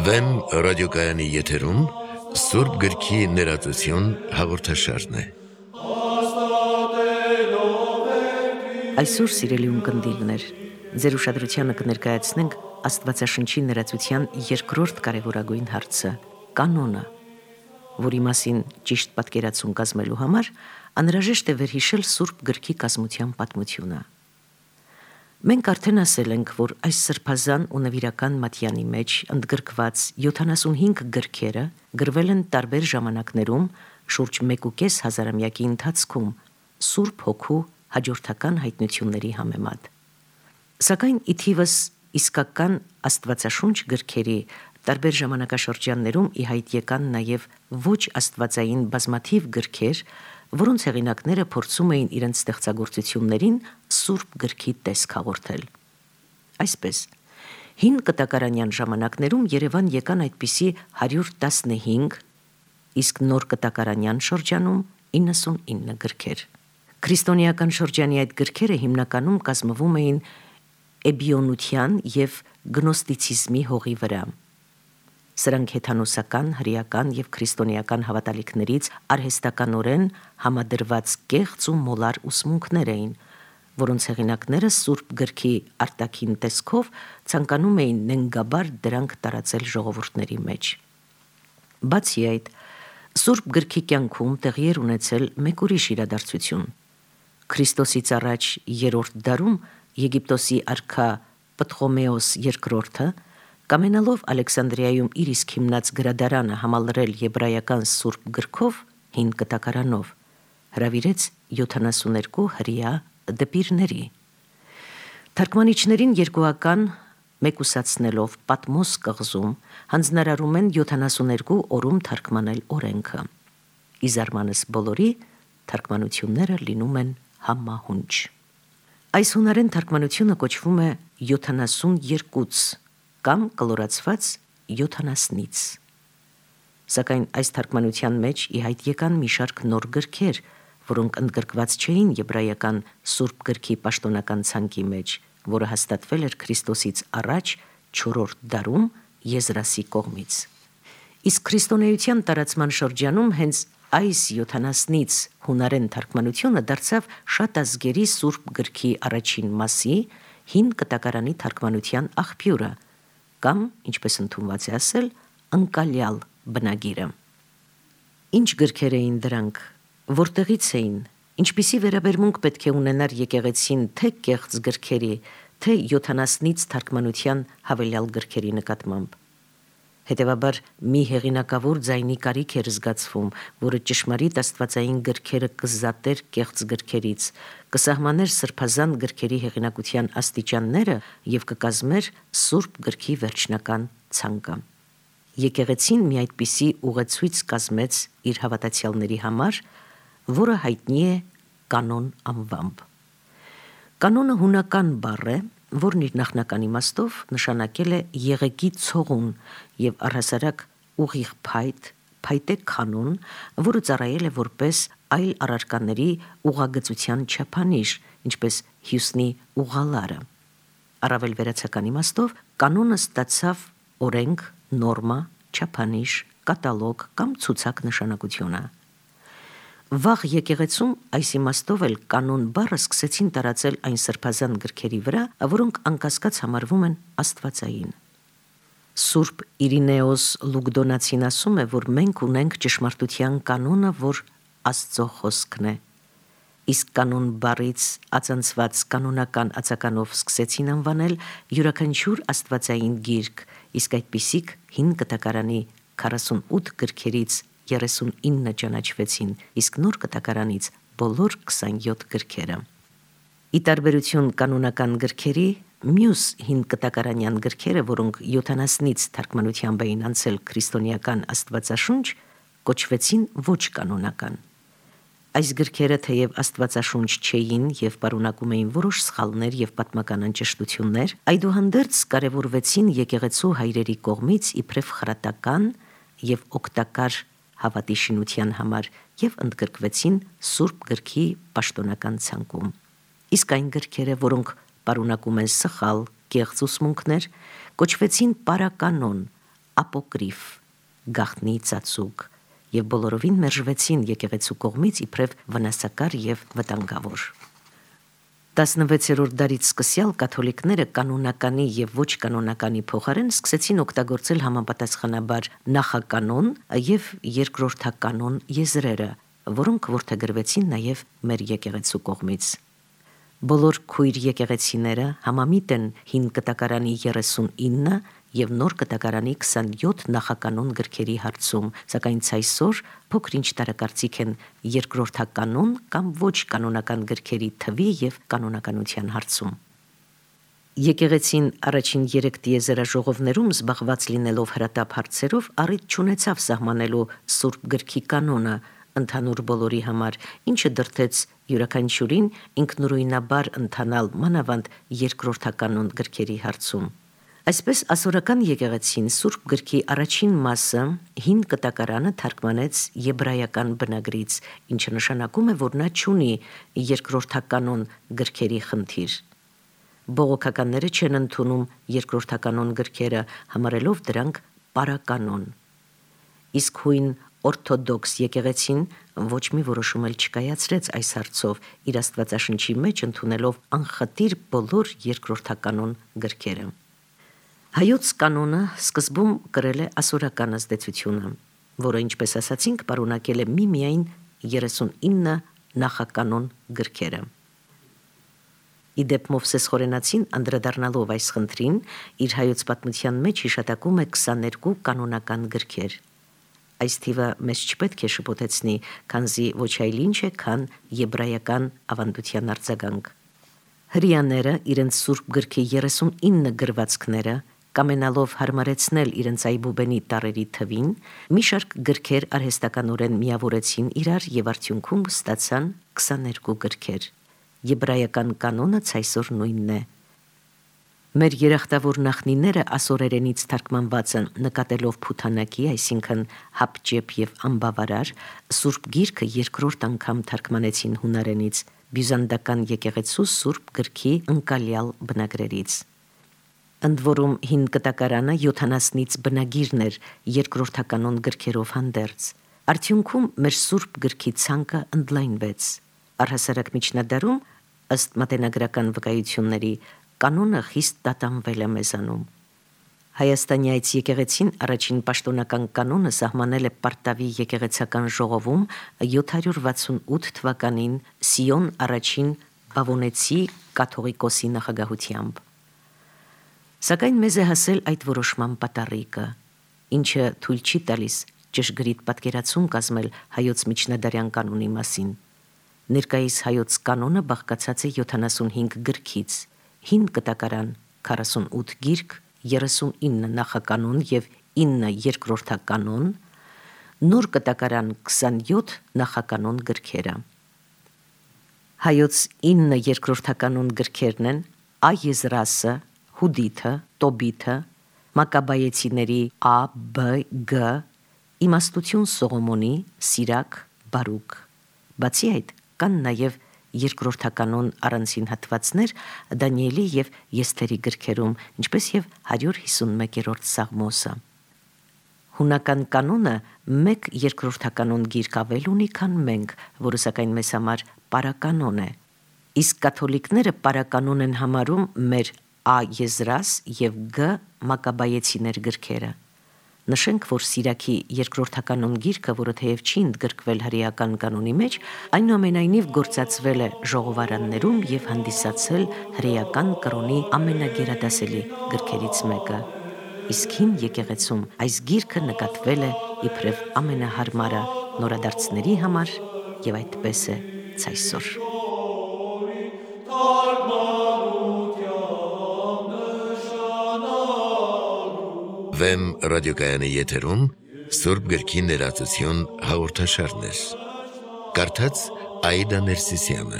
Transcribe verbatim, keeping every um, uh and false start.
Վեմ ռադիոկայանի եթերում Սուրբ գրքի ներածություն հաղորդաշարն է։ Այսօր սիրելի ունկնդիրներ, ձեր ուշադրությանը կներկայացնենք Աստվածաշնչի ներածության երկրորդ կարևորագույն հարցը՝ կանոնը, որի մասին ճիշտ պատկերացում կազմելու համար անհրաժեշտ է վերհիշել Սուրբ գրքի կազմության պատմությունը։ Մենք արդեն ասել ենք, որ այս սրբազան ու նվիրական մատյանի մեջ ընդգրկված յոթանասունհինգ գրքերը գրվել են տարբեր ժամանակներում շուրջ մեկուկես հազարամյակի ընթացքում Սուրբ Հոգու հաջորդական հայտնությունների համեմատ։ Սակայն ի թիվս իսկական Աստվածաշունչ գրքերի տարբեր ժամանակաշրջաններում ի հայտ եկան նաև ոչ աստվածային բազմաթիվ գրքեր, որոնց հեղինակները փորձում էին իրենց ստեղծագործություններին Սուրբ գրքի տեսք հաղորդել։ Այսպես, հին կտակարանյան ժամանակներում Երևան եկան այդպիսի հարյուր տասնհինգ, իսկ նոր կտակարանյան շրջանում իննսունինը գրքեր։ Քրիստոնեական շրջանի այդ գրքերը հիմնականում կազմվում էին էբիոնության և գնոստիցիզմի հողի վրա։ Սրանք հեթանոսական, հրեական և քրիստոնեական հավատալիքներից արհեստականորեն համադրված կեղծ ու մոլար ուսմունքներ էին, որոնց հեղինակները Սուրբ գրքի արտաքին տեսքով ցանկանում էին նենգաբար դրանք տարածել ժողովուրդների մեջ։ Բացի այդ, Սուրբ գրքի կյանքում տեղի էր ունեցել մեկ ուրիշ իրադարձություն։ Քրիստոսից առաջ երրորդ դարում Եգիպտոսի արքա Պտղոմեոս երկրորդը, կամենալով Ալեքսանդրիայում իր իսկ հիմնած գրադարանը համալրել եբրայական Սուրբ գրքով, հին կտակարանով, հրավիրեց յոթանասուներկու հրեա դպիրների։ Թարգմանիչներին երկուական մեկուսացնելով Պատմոս կղզում հանձնարարում են յոթանասուներկու օրում թարգմանել օրենքը։ Ի զարմանս բոլորի, թարգմանությունները լինում են համահունչ։ Այս հունարեն թարգմանությունը կոչվում է յոթանասունյերկուց կամ կլորացված յոթանասնից։ Սակայն այս թարգմանության մեջ ի հայտ եկան մի շարք նոր գրքեր, որոնք ընդգրկված չէին եբրայական Սուրբ գրքի պաշտոնական ցանկի մեջ, որը հաստատվել էր Քրիստոսից առաջ չորրորդ դարում Եզրասի կողմից։ Իսկ քրիստոնեության տարածման շրջանում հենց այս յոթանասնից հունարեն թարգմանությունը դարձավ շատ ազգերի Սուրբ գրքի առաջին մասի հին կտակարանի թարգմանության աղբյուրը, կամ, ինչպես ընդունված է ասել, ընկալյալ բնագիրը։ Ինչ գրքեր էին դրանք, որտեղից էին, ինչպիսի վերաբերմունք պետք է ունենար եկեղեցին թե կեղծ գրքերի, թե յոթանասնից թարգմանության հավելյալ գրքերի նկատմամբ։ Հետևաբար մի հեղինակավոր ձայնի կարիք էր զգացվում, որը ճշմարիտ աստվածային գրքերը կզատեր կեղծ գրքերից, կսահմաներ սրբազան գրքերի հեղինակության աստիճանները և կկազմեր Սուրբ գրքի վերջնական ցանկը։ Եկեղեցին մի այդպիսի ուղեցույց կազմեց իր հավատացյալների համար, որը հայտնի է կանոն անվամբ։ Կանոնը հունական բառ է, որն իր նախնական իմաստով նշանակել է եղեգի ցողուն և առհասարակ ուղիղ փայտ, փայտե կանոն, որը ծառայել է որպես այլ առարկաների ուղղագծության չափանիշ, ինչպես հյուսնի ուղալարը։ Առավել վերացական իմաստով կանոնը ստացավ օրենք, նորմա, չափանիշ, կատալոգ կամ ցուցակ նշանակությունը։ Վաղ եկեղեցում այս իմաստով էլ կանոն բառը սկսեցին տարածել այն սրբազան գրքերի վրա, որոնք անկասկած համարվում են աստվածային։ Սուրբ Իրինեոս Լուգդոնացին ասում է, որ մենք ունենք ճշմարտության կանոնը, որ Աստծո խոսքն է։ Իսկ կանոն բառից ածանցված կանոնական ածականով սկսեցին անվանել յուրաքանչյուր աստվածային գիրք, իսկ այդպիսիք հին կտակարանի քառասունութ գրքերից երեսունինը ճանաչվեցին, իսկ նոր կտակարանից բոլոր քսանյոթ գրքերը։ Ի տարբերություն կանոնական գրքերի, մյուս հին կտակարանյան գրքերը, որոնք յոթանասնից թարգմանությամբ էին անցել քրիստոնեական աստվածաշունչ, կոչվեցին ոչ կանոնական։ Այս գրքերը թեև աստվածաշունչ չէին և պարունակում էին որոշ սխալներ և պատմական անճշտություններ, այդուհանդերձ կարևորվեցին եկեղեցու հայրերի կողմից իբրև խրատական և օգտակար հավատի շինության համար և ընդգրկվեցին Սուրբ գրքի պաշտոնական ցանկում։ իսկ այն գրքերը, որոնք պարունակում են սխալ, կեղծ ուսմունքներ, կոչվեցին պարականոն, ապոկրիֆ, գաղտնի ծածուկ եւ բոլորովին մերժվեցին եկեղեցու կողմից իբրև վնասակար եւ վտանգավոր։ տասնվեցերորդ դարից սկսյալ կաթոլիկները կանոնականի եւ ոչ կանոնականի փոխարեն սկսեցին օգտագործել համապատասխանաբար նախականոն եւ երկրորդականոն եզրերը, որոնք որդեգրվեցին նաեւ մեր եկեղեցու կողմից։ Բոլոր քույր եկեղեցիները համամիտ են հին կտակարանի երեսունինը եւ նոր կտակարանի քսանյոթ նախականոն գրքերի հարցում, սակայն ցայսօր փոքր-ինչ տարակարծիք են երկրորդականոն կամ ոչ կանոնական գրքերի թվի եւ կանոնականության հարցում։ Եկեղեցին առաջին երեք տիեզերաժողովներում զբաղված լինելով հրատապ հարցերով առիթ չունեցավ սահմանելու Սուրբ գրքի կանոնը ընդհանուր բոլորի համար, ինչը դրդեց յուրաքանչյուրին ինքնուրույնաբար ընթանալ մանավանդ երկրորդականոն գրքերի հարցում։ Այսպես ասորական եկեղեցին Սուրբ գրքի առաջին մասը հին կտակարանը թարգմանեց եբրայական բնագրից, ինչը նշանակում է, որ նա չունի երկրորդականոն գրքերի խնդիր։ Բողոքականները չեն ընդունում երկրորդականոն գրքերը, համարելով դրանք պարականոն։ Իսկ հույն օրթոդոքս եկեղեցին ոչ մի որոշում էլ չկայացրեց այս հարցով, իր Աստվածաշնչի մեջ ընդունելով անխտիր բոլոր երկրորդականոն գրքերը։ Հայոց կանոնը սկզբում կրել է ասորական ազդեցությունը, որը, ինչպես ասացինք, պարունակել է միմիայն երեսունինը նախականոն գրքերը։ Իդեպ Մովսես Խորենացին անդրադառնալով այս խնդրին, իր հայոց պատմության մեջ հիշատակում է քսաներկու կանոնական գրքեր։ Այս թիվը մեզ չպետք է շփոթեցնի, քանզի ոչ այլ ինչ է, քան եբրայական ավանդության արձագանք։ Հրեաները իրենց Սուրբ գրքի երեսունինը գրվածքները կամենալով հարմարեցնել իրենց այբուբենի տառերի թվին, մի շարք գրքեր արհեստականորեն միավորեցին իրար եւ արդյունքում ստացան քսաներկու գրքեր։ Եբրայական կանոնը ցայսօր նույնն է։ Մեր երախտավոր նախնիները ասորերենից թարգմանված են նկատելով փութանակի, այսինքն հապճեպ եւ անբավարար, Սուրբ գիրքը երկրորդ անգամ թարգմանեցին հունարենից, բյուզանդական եկեղեցու Սուրբ գրքի ընկալյալ բնագրերից։ Ընդ որում հին կտակարանը յոթանասնից բնագիրն էր երկրորդականոն գրքերով հանդերձ։ Արդյունքում մեր Սուրբ գրքի ցանկը ընդլայնվեց։ Առհասարակ միջնադարում, ըստ մատենագրական վկայությունների, կանոնը խիստ տատանվել է մեզանում։ Հայաստանի այս եկեղեցին առաջին պաշտոնական կանոնը սահմանել է Պարտավի եկեղեցական ժողովում յոթ հարյուր վաթսունութ թվականին Սիոն առաջին Բավոնեցի կաթողիկոսի նախագահությամբ։ Սակայն մեզ է հասել այդ որոշման պատառիկը, ինչը թույլ չի տալիս ճշգրիտ պատկերացում կազմել հայոց միջնադարյան կանոնի մասին։ Ներկայիս հայոց կանոնը բաղկացած է յոթանասունհինգ գրքից, հին կտակարան քառասունութ գիրք, երեսունինը նախականոն եւ ինը երկրորդականոն, նոր կտակարան քսանյոթ նախականոն գրքերը։ Հայոց ինը երկրորդականոն գրքերն են Այեզրասը, Հուդիթը, Տոբիթը, Մակաբայեցիների Ա, Բ, Գ, Իմաստություն Սողոմոնի, Սիրակ, Բարուկ։ Բացի այդ, կան նաև երկրորդականոն առանձին հատվածներ Դանիելի եւ Եսթերի գրքերում, ինչպես եւ հարյուր հիսունմեկերորդ Սաղմոսը։ Հունական կանոնը մեկ երկրորդականոն գիրք ավել ունի, քան մենք, որը սակայն մեզ համար պարականոն է։ Իսկ կաթոլիկները պարականոն են համարում մեր Ա Եզրաս եւ Գ Մակաբայեցիներ գրքերը։ Նշենք, որ Սիրակի երկրորդականոն գիրքը, որը թեև չի ընդգրկվել հրեական կանոնի մեջ, այնուամենայնիվ գործածվել է ժողովարաններում եւ հանդիսացել հրեական կրոնի ամենագերադասելի գրքերից մեկը։ Իսկ հին եկեղեցում այս գիրքը նկատվել է իբրև ամենահարմարը նորադարձների համար եւ այդպես է ցայսօր։ Վեմ ռադիոկայանի եթերում Սուրբ գրքի ներածություն հաղորդաշարներ։ Կարդաց Աիդա Ներսիսյանը։